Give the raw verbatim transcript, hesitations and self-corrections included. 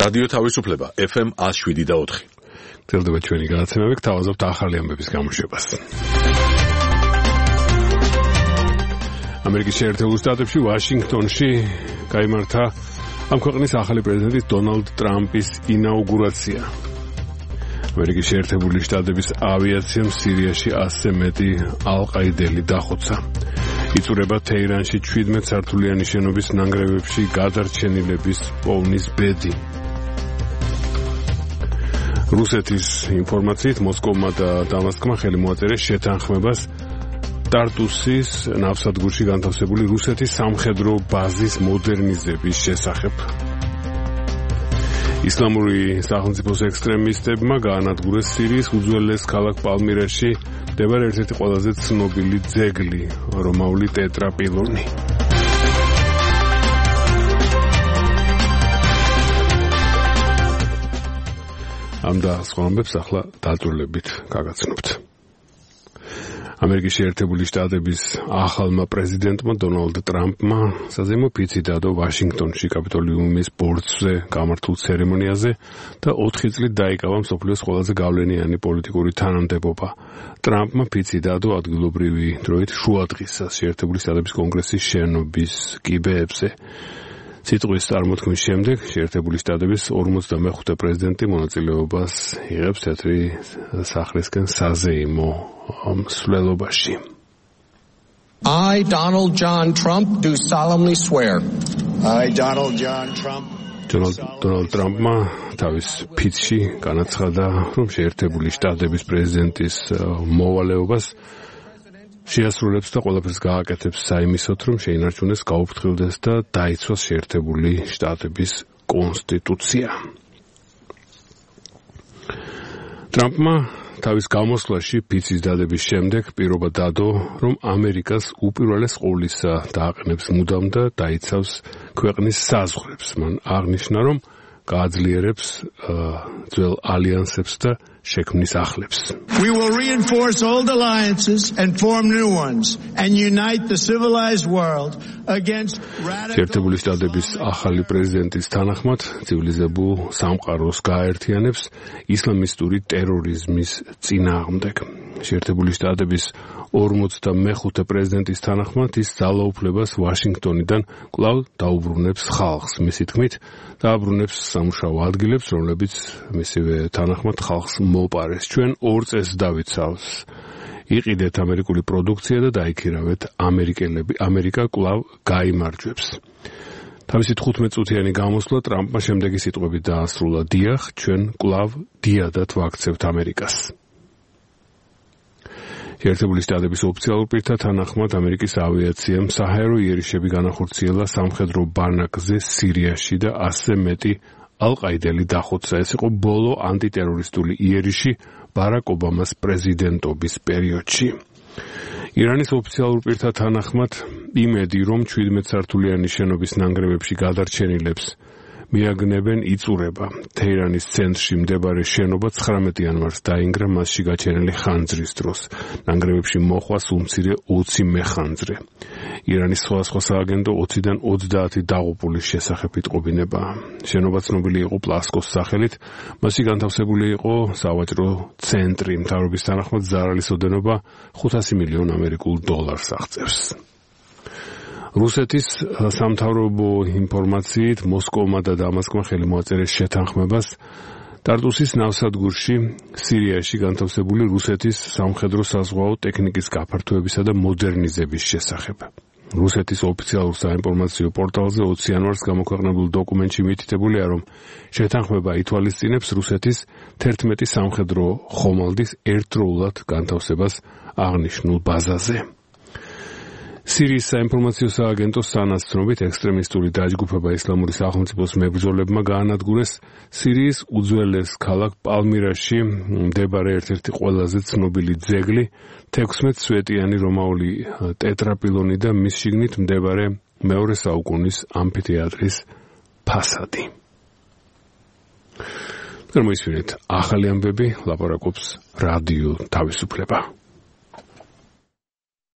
რადიო თავისუფლება ეფ ემ one oh seven point four. გრძელდება ჩვენი გადაცემები, გთავაზობთ ახალი ამბების გამოშვებას. ამერიკის შეერთებულ შტატებში ვაშინგტონში გაიმართა ამ ქვეყნის ახალი პრეზიდენტის დონალდ ტრამპის ინაუგურაცია. ამერიკის შეერთებული შტატების ავიაციამ სირიაში ასზე მეტი ალყაიდელი დახოცა. იწურება თეირანში შვიდმეტ სართულიანი შენობის ნანგრევებში გადარჩენილების პოვნის ბედი. რუსეთის ინფორმაციით მოსკოვმა და დამასკმა ხელი მოაწერეს შეთანხმებას ტარტუსის ნავსადგურში განთავსებული რუსეთის სამხედრო ბაზის მოდერნიზების შესახებ. ისლამური სახელმწიფოს ექსტრემისტებმა გაანადგურეს სირიის უძველეს ქალაქ პალმირაში მდებარე ერთ-ერთი ყველაზე ცნობილი ძეგლი, რომაული ტეტრაპილონი. ამ და სხვა ამბებს ახლა დაწვრილებით გაგაცნობთ. ამერიკის შეერთებული შტატების ახალმა პრეზიდენტმა დონალდ ტრამპმა საზეიმო ფიცი დადო ვაშინგტონში კაპიტოლიუმის ბორცვზე გამართულ ცერემონიაზე და ოთხი წლით დაიკავა მსოფლიოს ყველაზე გავლენიანი პოლიტიკური თანამდებობა. ტრამპმა ფიცი დადო ადგილობრივი დროით შუადღისას შეერთებული შტატების კონგრესის შენობის კიბეებზე. სიტყვის წარმოთქმის შემდეგ შეერთებული შტატების ორმოცდამეხუთე პრეზიდენტი მონაწილეობას იღებს თეთრი სახლისკენ საზეიმო მსვლელობაში. I, Donald John Trump, do solemnly swear. I, Donald John Trump. Donald Trumpმა თავის ფიცში განაცხადა, რომ შეერთებული შტატების პრეზიდენტის მოვალეობას შეასრულებს და ყველაფერს გააკეთებს საიმისოდ, რომ შეინარჩუნეს, გაუფრთხილდეს და დაიცვას შეერთებული შტატების კონსტიტუცია. ტრამპმა თავის გამოსვლაში ფიცის დადების შემდეგ პირობა დადო, რომ ამერიკას უპირველეს ყოვლისა დააყენებს მუდამ და დაიცავს ქვეყნის საზღვრებს. მან აღნიშნა, რომ გააძლიერებს ძველ ალიანსებს და შექმნის ახლებს. We will reinforce old alliances and form new ones and unite the civilized world against radical. შეერთებული შტატების ახალი პრეზიდენტის თანახმად ცივილიზებულ სამყაროს გააერთიანებს ისლამისტური ტერორიზმის წინააღმდეგ. შეერთებული შტატების ორმოცდამეხუთე პრეზიდენტის თანახმად ის ძალაუფლებას ვაშინგტონიდან კვლავ დაუბრუნებს ხალხს. მისი თქმით, დააბრუნებს სამუშაო ადგილებს, რომლებიც მისივე თანახმად ხალხს მოპარეს. ჩვენ ორ წესს დავიცავს. იყიდეთ ამერიკული პროდუქცია და დაიქირავეთ ამერიკელები. ამერიკა კვლავ გაიმარჯვებს. თავისი თხუთმეტ წუთიანი გამოსვლა ტრამპმა შემდეგი სიტყვებით დაასრულა: დიახ, ჩვენ კვლავ დიადად ვაქცევთ ამერიკას. შეერთებული შტატების ოფიციალურ პირთა თანახმად ამერიკის ავიაციამ საჰაერო იერიშები განახორციელა სამხედრო ბანაკზე სირიაში და ასზე მეტი ალყაიდელი დახოცა. ეს იყო ბოლო ანტიტერორისტული იერიში ბარაკ ობამას პრეზიდენტობის პერიოდში. ირანის ოფიციალურ პირთა თანახმად იმედი, რომ შვიდმეტ სართულიანი შენობის ნანგრევებში გადარჩენილებს მიაგნებენ, იწურება. თეირანის ცენტრში მდებარე შენობა ცხრამეტ იანვარს დაინგრა მასში გაჩენილი ხანძრის დროს. ნანგრევებში მოხვა სულ მცირე ოცი მეხანძრე. ირანის სხვადასხვა სააგენტო ოციდან ოცდაათი დაღუპულის შესახებ იტყობინება. შენობა ცნობილი იყო პლასკოს სახელით, მასში განთავსებული იყო სავაჭრო ცენტრი. მთავრობის თანახმად ზარალის ოდენობა ხუთასი მილიონ ამერიკულ დოლარს აღწევს. რუსეთის სამთავრობო ინფორმაციით მოსკოვმა და დამასკმა ხელი მოაწერეს შეთანხმებას ტარტუსის ნავსადგურში სირიაში განთავსებული რუსეთის სამხედრო საზღვაო ტექნიკის გაფართოებისა და მოდერნიზების შესახებ. რუსეთის ოფიციალურ საინფორმაციო პორტალზე ოცი იანვარს გამოქვეყნებულ დოკუმენტში მითითებულია, რომ შეთანხმება ითვალისწინებს რუსეთის თერთმეტი სამხედრო ხომალდის ერთდროულად განთავსებას აღნიშნულ ბაზაზე. სირიის საინფორმაციო სააგენტოს სანაცნობით ექსტრემისტული დაჯგუფება ისლამური სახელმწიფოს მებრძოლებმა გაანადგურეს სირიის უძველეს ქალაქ პალმირაში მდებარე ერთ-ერთი ყველაზე ცნობილი ძეგლი, თექვსმეტ სვეტიანი რომაული ტეტრაპილონი და მის შიგნით მდებარე მეორე საუკუნის ამფითეატრის ფასადი. გამოისმინეთ ახალი ამბები, ლაპარაკობს რადიო თავისუფლება.